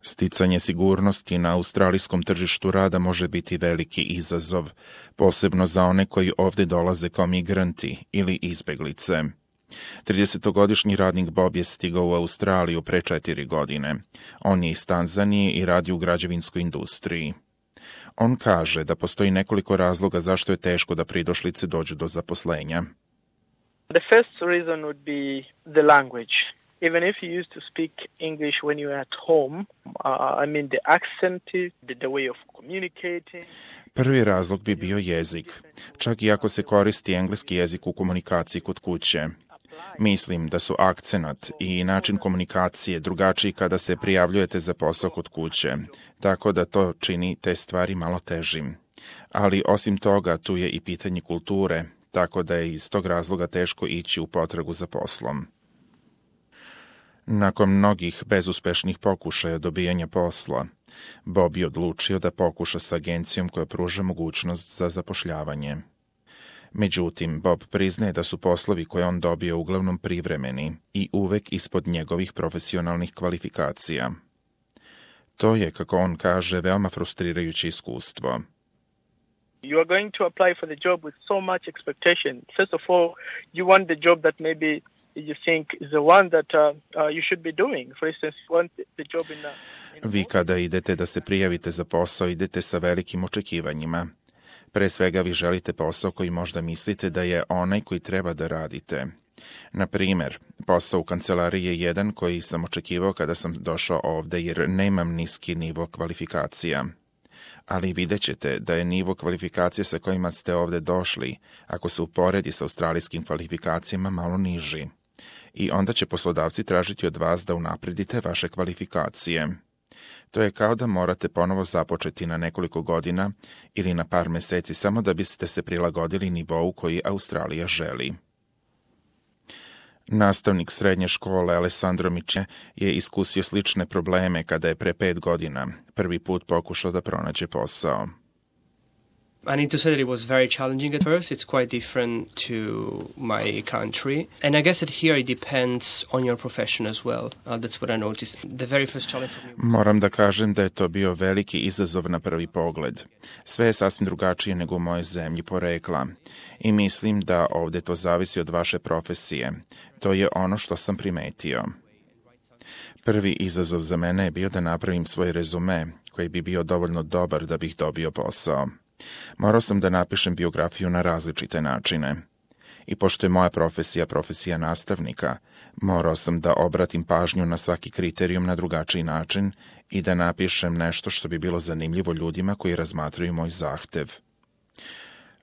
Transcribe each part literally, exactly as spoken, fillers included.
Sticanje sigurnosti na australijskom tržištu rada može biti veliki izazov, posebno za one koji ovdje dolaze kao migranti ili izbeglice. tridesetogodišnji radnik Bob je stigao u Australiju pre četiri godine. On je iz Tanzanije i radi u građevinskoj industriji. On kaže da postoji nekoliko razloga zašto je teško da pridošlice dođu do zaposlenja. The first reason would be the language. Even if you used to speak English when you were at home, uh, I mean the accent, the, the way of communicating. Prvi razlog bi bio jezik, čak i ako se koristi engleski jezik u komunikaciji kod kuće. Mislim da su akcenat i način komunikacije drugačiji kada se prijavljujete za posao kod kuće, tako da to čini te stvari malo težim. Ali osim toga tu je i pitanje kulture, tako da je iz tog razloga teško ići u potragu za poslom. Nakon mnogih bezuspešnih pokušaja dobijanja posla, Bob je odlučio da pokuša s agencijom koja pruža mogućnost za zapošljavanje. Međutim, Bob priznaje da su poslovi koje on dobio uglavnom privremeni i uvek ispod njegovih profesionalnih kvalifikacija. To je, kako on kaže, veoma frustrirajuće iskustvo. You are going to apply for the job with so much expectation. First of all, you want the job that maybe you think is the one that uh, uh, you should be doing. For instance, you want the job in a... In Vi kada idete da se prijavite za posao, idete sa velikim očekivanjima. Pre svega vi želite posao koji možda mislite da je onaj koji treba da radite. Na primer, posao u kancelariji je jedan koji sam očekivao kada sam došao ovde jer nemam niski nivo kvalifikacija. Ali vidjet ćete da je nivo kvalifikacije sa kojima ste ovde došli, ako se uporedi sa australijskim kvalifikacijama, malo niži. I onda će poslodavci tražiti od vas da unapredite vaše kvalifikacije. To je kao da morate ponovo započeti na nekoliko godina ili na par meseci samo da biste se prilagodili nivou koji Australija želi. Nastavnik srednje škole Alessandro Miče je iskusio slične probleme kada je pre pet godina prvi put pokušao da pronađe posao. I need to say that it was very challenging at first. It's quite different to my country. And I guess that here it depends on your profession as well. Uh, that's what I noticed. The very first challenge for me was... Moram da kažem da je to bio veliki izazov na prvi pogled. Sve je sasvim drugačije nego u mojoj zemlji porekla. I mislim da ovdje to zavisi od vaše profesije. To je ono što sam primetio. Prvi izazov za mene je bio da napravim svoj rezume, koji bi bio dovoljno dobar da bih dobio posao. Morao sam da napišem biografiju na različite načine. I pošto je moja profesija profesija nastavnika, morao sam da obratim pažnju na svaki kriterijum na drugačiji način i da napišem nešto što bi bilo zanimljivo ljudima koji razmatraju moj zahtev.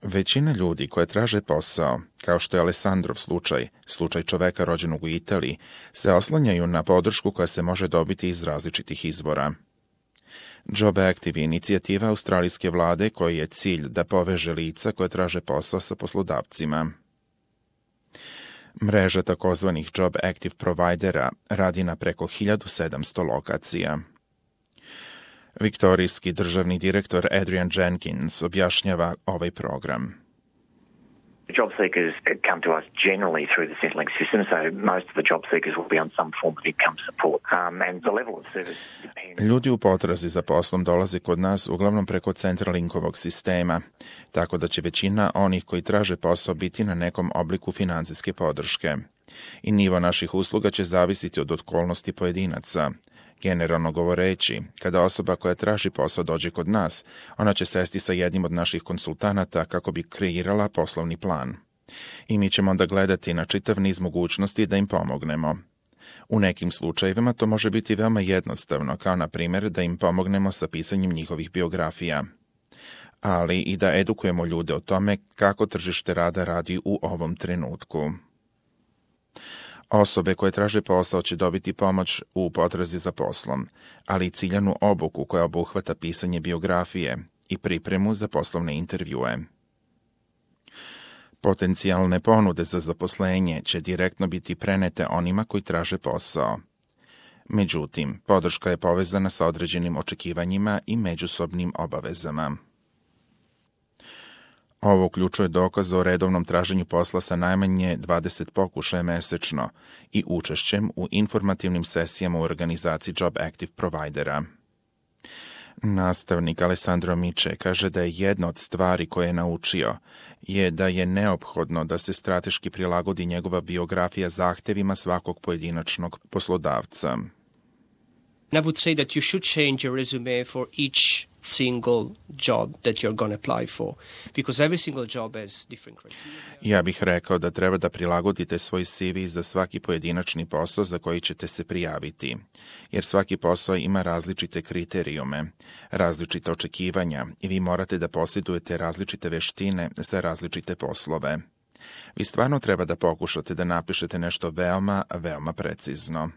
Većina ljudi koje traže posao, kao što je Alessandrov slučaj, slučaj čoveka rođenog u Italiji, se oslanjaju na podršku koja se može dobiti iz različitih izvora. Job Active je inicijativa australijske vlade koji je cilj da poveže lica koje traže posao sa poslodavcima. Mreža takozvanih Job Active providera radi na preko hiljadu sedamsto lokacija. Viktorijski državni direktor Adrian Jenkins objašnjava ovaj program. Job seekers come to us generally through the Centrelink system, so most of the job seekers will be on some form of income support. Um, and the level of service depends. Ljudi u potrazi za poslom dolaze kod nas uglavnom preko Centrelinkovog sistema, tako da će većina onih koji traže posao biti na nekom obliku finansijske podrške. I nivo naših usluga će zavisiti od okolnosti pojedinaca. Generalno govoreći, kada osoba koja traži posao dođe kod nas, ona će sesti sa jednim od naših konsultanata kako bi kreirala poslovni plan. I mi ćemo onda gledati na čitav niz mogućnosti da im pomognemo. U nekim slučajevima to može biti veoma jednostavno, kao na primjer da im pomognemo sa pisanjem njihovih biografija. Ali i da edukujemo ljude o tome kako tržište rada radi u ovom trenutku. Osobe koje traže posao će dobiti pomoć u potrazi za poslom, ali i ciljanu obuku koja obuhvata pisanje biografije i pripremu za poslovne intervjue. Potencijalne ponude za zaposlenje će direktno biti prenete onima koji traže posao. Međutim, podrška je povezana sa određenim očekivanjima i međusobnim obavezama. Ovo uključuje dokaz o redovnom traženju posla sa najmanje dvadeset pokušaja mesečno i učešćem u informativnim sesijama u organizaciji Job Active provajdera. Nastavnik Alessandro Miče kaže da je jedna od stvari koje je naučio je da je neophodno da se strateški prilagodi njegova biografija zahtevima svakog pojedinačnog poslodavca. I would say that you should change your resume for each single job that you're going to apply for, because every single job has different criteria. Ja bih rekao da treba da prilagodite svoj C V za svaki pojedinačni posao za koji ćete se prijaviti, jer svaki posao ima različite kriterijume, različite očekivanja i vi morate da posjedujete različite veštine za različite poslove. Vi stvarno treba da pokušate da napišete nešto veoma, veoma precizno.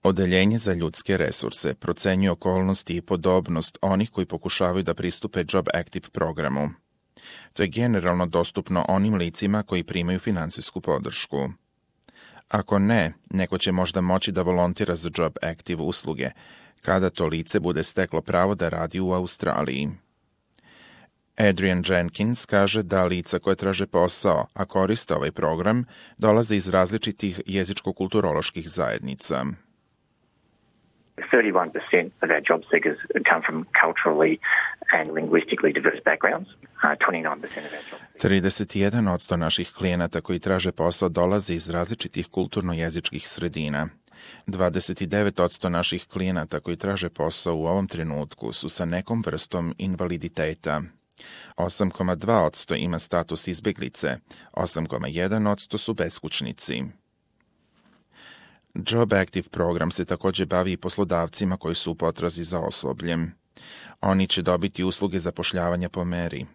Odeljenje za ljudske resurse procenjuje okolnosti i podobnost onih koji pokušavaju da pristupe Job Active programu. To je generalno dostupno onim licima koji primaju finansijsku podršku. Ako ne, neko će možda moći da volontira za Job Active usluge, kada to lice bude steklo pravo da radi u Australiji. Adrian Jenkins kaže da lica koje traže posao, a koriste ovaj program, dolaze iz različitih jezičko-kulturoloških zajednica. thirty-one percent of our job seekers come from culturally and linguistically diverse backgrounds. Uh, twenty-nine percent of our job seekers. trideset jedan posto naših klijenata koji traže posao dolaze iz različitih kulturno-jezičkih sredina. dvadeset devet posto naših klijenata koji traže posao u ovom trenutku su sa nekom vrstom invaliditeta. osam zarez dva posto ima status izbjeglice, osam zarez jedan posto su beskućnici. Job Active program se također bavi i poslodavcima koji su u potrazi za osobljem. Oni će dobiti usluge zapošljavanja po meri.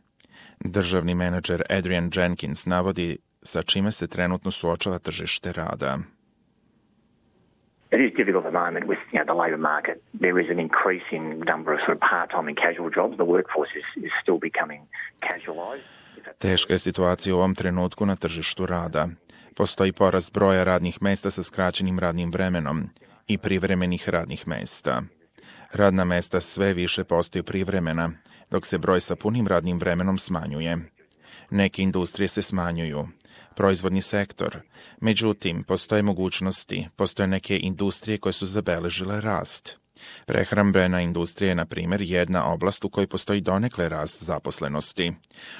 Državni menadžer Adrian Jenkins navodi sa čime se trenutno suočava tržište rada. It is difficult at the moment with you know, the labour market. There is an increasing number of sort of part-time and casual jobs. The workforce is, is still becoming casualised. Teška je situacija u ovom trenutku na tržištu rada. Postoji porast broja radnih mesta sa skraćenim radnim vremenom i privremenih radnih mesta. Radna mesta sve više postaju privremena, dok se broj sa punim radnim vremenom smanjuje. Neke industrije se smanjuju, proizvodni sektor. Međutim, postoje mogućnosti, postoje neke industrije koje su zabeležile rast. Prehrambena industrija je, na primjer, jedna oblast u kojoj postoji donekle rast zaposlenosti.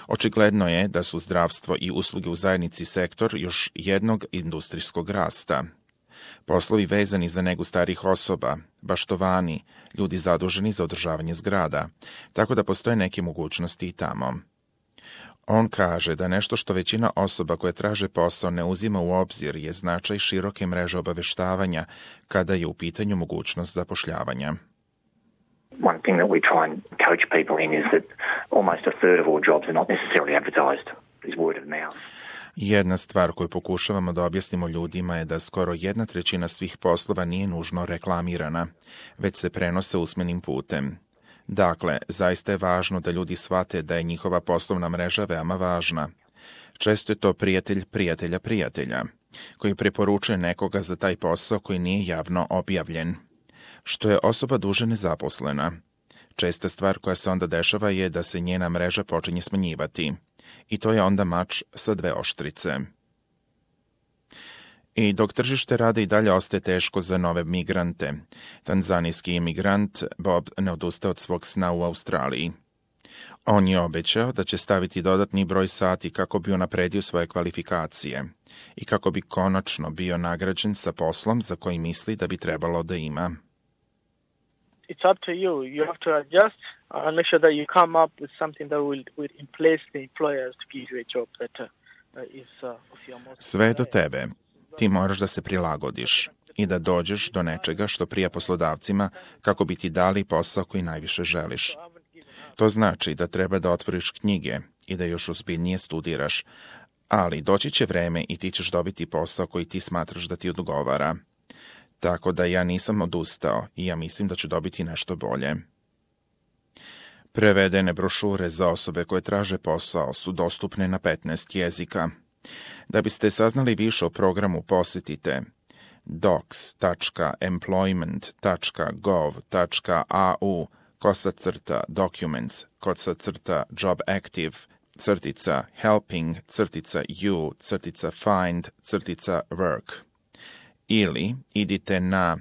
Očigledno je da su zdravstvo i usluge u zajednici sektor još jednog industrijskog rasta. Poslovi vezani za negu starih osoba, baštovani, ljudi zaduženi za održavanje zgrada, tako da postoje neke mogućnosti i tamo. On kaže da nešto što većina osoba koje traže posao ne uzima u obzir je značaj široke mreže obaveštavanja kada je u pitanju mogućnost zapošljavanja. One thing that we try and coach people in is that almost a third of all jobs are not necessarily advertised. It's word of mouth. Jedna stvar koju pokušavamo da objasnimo ljudima je da skoro jedna trećina svih poslova nije nužno reklamirana, već se prenose usmenim putem. Dakle, zaista je važno da ljudi shvate da je njihova poslovna mreža veoma važna. Često je to prijatelj prijatelja prijatelja, koji preporučuje nekoga za taj posao koji nije javno objavljen. Što je osoba duže nezaposlena. Česta stvar koja se onda dešava je da se njena mreža počinje smanjivati. I to je onda mač sa dve oštrice. I dok tržište rada i dalje ostaje teško za nove migrante, tanzanijski imigrant Bob ne odustaje od svog sna u Australiji. On je obećao da će staviti dodatni broj sati kako bi unapredio svoje kvalifikacije i kako bi konačno bio nagrađen sa poslom za koji misli da bi trebalo da ima. It's up to you. You have to adjust and make sure that you come up with something that will, will place the employers to give you a job that uh, is uh, of your most... Sve je do tebe. Ti moraš da se prilagodiš i da dođeš do nečega što prija poslodavcima kako bi ti dali posao koji najviše želiš. To znači da treba da otvoriš knjige i da još ozbiljnije studiraš, ali doći će vreme i ti ćeš dobiti posao koji ti smatraš da ti odgovara. Tako da ja nisam odustao i ja mislim da ću dobiti nešto bolje. Prevedene brošure za osobe koje traže posao su dostupne na petnaest jezika. Da biste saznali više o programu, posjetite docs dot employment dot gov dot a u kosa crta documents, kosa crta job active, crtica helping, crtica you, crtica find, crtica work. Ili idite na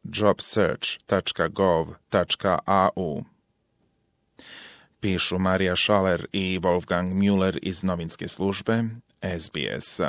jobsearch dot gov dot a u. Pišu Marija Šaler i Wolfgang Müller iz novinske službe S B S.